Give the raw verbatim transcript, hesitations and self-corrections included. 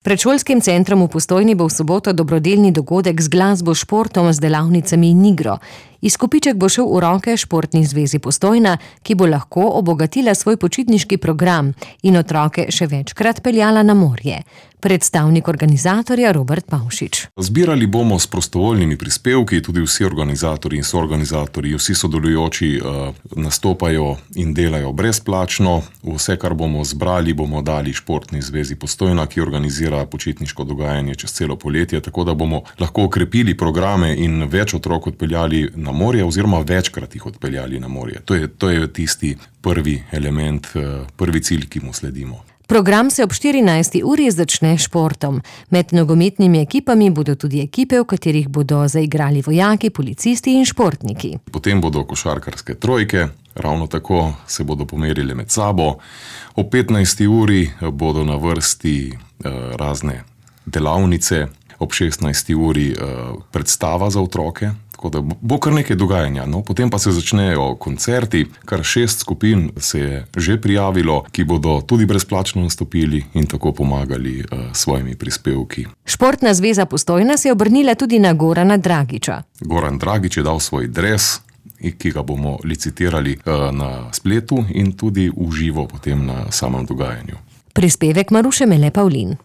Pred šolskim centrom v Postojni bo v soboto dobrodelni dogodek z glasbo, športom, z delavnicami in igro. Izkupiček bo šel v roke Športni zvezi Postojna, ki bo lahko obogatila svoj počitniški program in otroke še večkrat peljala na morje. Predstavnik organizatorja Robert Pavšič. Zbirali bomo s prostovoljnimi prispevki, tudi vsi organizatorji in soorganizatorji, vsi sodelujoči uh, nastopajo in delajo brezplačno. Vse, kar bomo zbrali, bomo dali Športni zvezi Postojna, ki organizira počitniško dogajanje čez celo poletje, tako da bomo lahko okrepili programe in več otrok odpeljali na morje oziroma večkrat jih odpeljali na morje. To je, to je tisti prvi element, uh, prvi cilj, ki mu sledimo. Program se ob štirinajsti uri začne s športom. Med nogometnimi ekipami bodo tudi ekipe, v katerih bodo zaigrali vojaki, policisti in športniki. Potem bodo košarkarske trojke, ravno tako se bodo pomerili med sabo. Ob petnajsti uri bodo na vrsti eh, razne delavnice, ob šestnajsti uri eh, predstava za otroke. Tako da bo kar nekaj dogajanja. No, potem pa se začnejo koncerti, kar šest skupin se je že prijavilo, ki bodo tudi brezplačno nastopili in tako pomagali uh, svojimi prispevki. Športna zveza Postojna se je obrnila tudi na Gorana Dragiča. Goran Dragič je dal svoj dres, ki ga bomo licitirali uh, na spletu in tudi v živo potem na samem dogajanju. Prispevek Maruše Mele Pavlin.